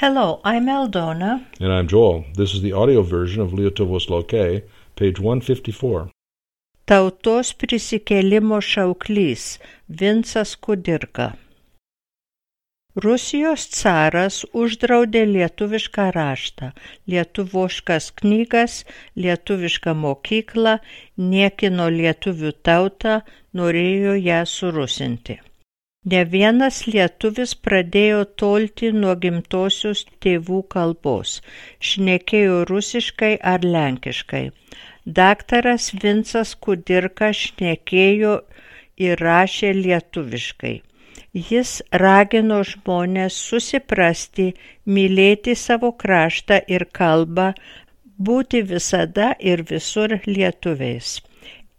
Hello, I'm Aldona. And I'm Joel. This is the audio version of Lietuvos Lauke, page 154. Tautos prisikėlimo šauklys Vincas Kudirka. Rusijos caras uždraudė lietuvišką raštą, lietuviškas knygas, lietuvišką mokyklą, niekino lietuvių tautą, norėjo ją surusinti. Ne vienas lietuvis pradėjo tolti nuo gimtosios tėvų kalbos, šnekėjo rusiškai ar lenkiškai. Daktaras Vincas Kudirka šnekėjo ir rašė lietuviškai. Jis ragino žmones susiprasti, mylėti savo kraštą ir kalbą, būti visada ir visur lietuviais.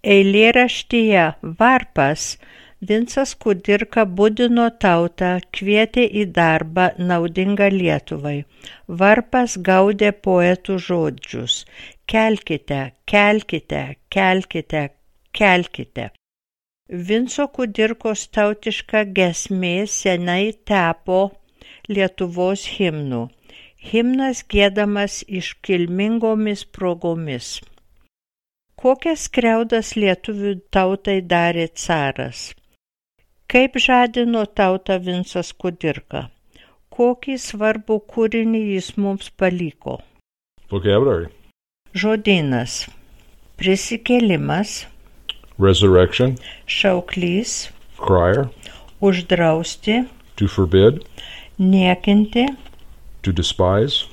Eilėraštyje Varpas Vincas Kudirka budino tautą, kvietė į darbą naudingą Lietuvai. Varpas gaudė poetų žodžius: kelkite, kelkite, kelkite, kelkite. Vinco Kudirkos tautiška giesmė senai tapo Lietuvos himnu. Himnas giedamas iškilmingomis progomis. Kokias skriaudas lietuvių tautai darė caras? Kaip žadino tautą Vincas Kudirka? Kokį svarbų kūrinį jis mums paliko? Vocabulary. Žodynas. Prisikėlimas. Resurrection. Šauklys. Crier. Uždrausti. To forbid. Niekinti. To despise.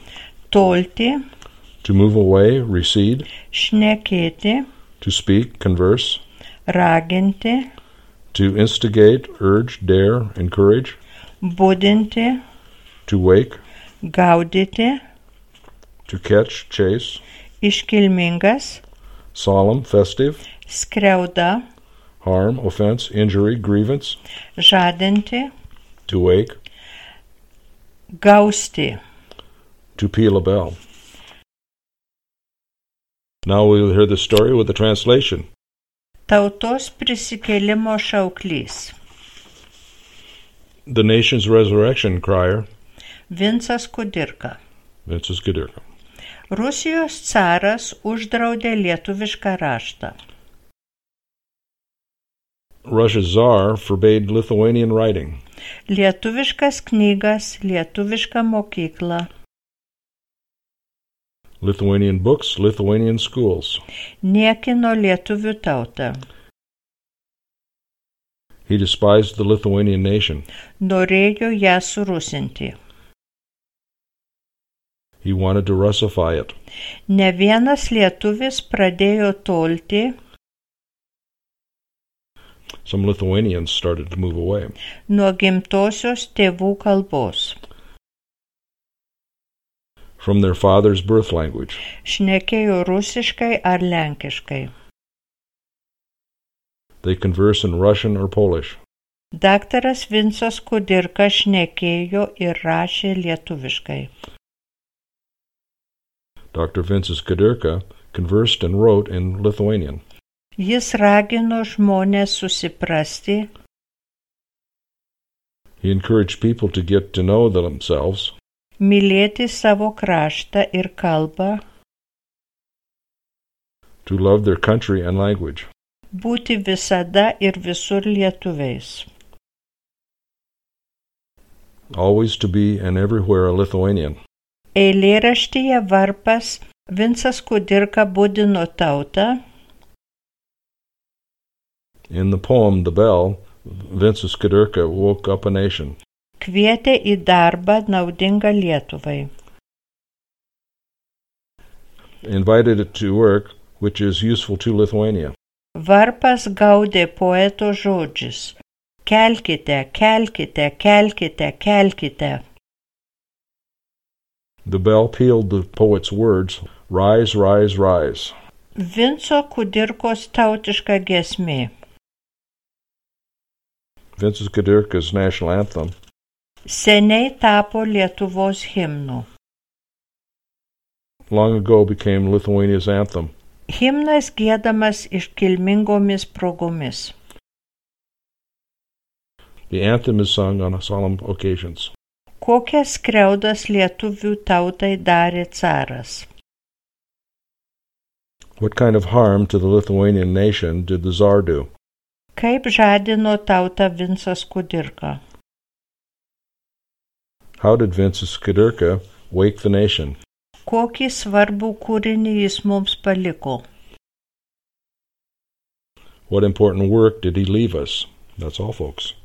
Tolti. To move away, recede. Šnekėti. To speak, converse. Raginti. To instigate, urge, dare, encourage. Budinti. To wake. Gaudyti. To catch, chase. Iškilmingas. Solemn, festive. Skriauda. Harm, offense, injury, grievance. Žadinti. To wake. Gausti. To peal a bell. Now we'll hear the story with the translation. Tautos prisikėlimo šauklys. The nation's resurrection crier. Vincas Kudirka. Vincas Kudirka. Rusijos caras uždraudė lietuvišką raštą. Russia's Tsar forbade Lithuanian writing. Lietuviškas knygas, lietuvišką mokyklą. Lithuanian books, Lithuanian schools. Niekino lietuvių tautą. He despised the Lithuanian nation. Norėjo ją surusinti. He wanted to Russify it. Ne vienas lietuvis pradėjo tolti. Some Lithuanians started to move away. Nuo gimtosios tėvų kalbos. From their father's birth language. Šnekėjo rusiškai ar lenkiškai. They converse in Russian or Polish. Daktaras Vincas Kudirka šnekėjo ir rašė lietuviškai. Dr. Vincas Kudirka conversed and wrote in Lithuanian. Jis ragino žmones susiprasti. He encouraged people to get to know themselves. Mylėti savo kraštą ir kalbą. To love their country and language. Būti visada ir visur lietuviais. Always to be and everywhere a Lithuanian. Eilėraštyje Varpas Vincas Kudirka budino tautą. In the poem The Bell, Vincas Kudirka woke up a nation. Kvietė į darbą naudingą Lietuvai. Invited it to work which is useful to Lithuania. Varpas gaudė poeto žodžius: kelkite, kelkite, kelkite, kelkite. The bell pealed the poet's words, rise, rise, rise. Vinco Kudirkos tautiška giesmė. Vincas Kudirka's national anthem. Seniai tapo Lietuvos himnu. Long ago became Lithuania's anthem. Himnas giedamas iškilmingomis progomis. The anthem is sung on solemn occasions. Kokias skriaudas lietuvių tautai darė caras? What kind of harm to the Lithuanian nation did the Tsar do? Kaip žadino tautą Vincas Kudirka? How did Vincas Kudirka wake the nation? Kokį svarbų kūrinį jis mums paliko? What important work did he leave us? That's all, folks.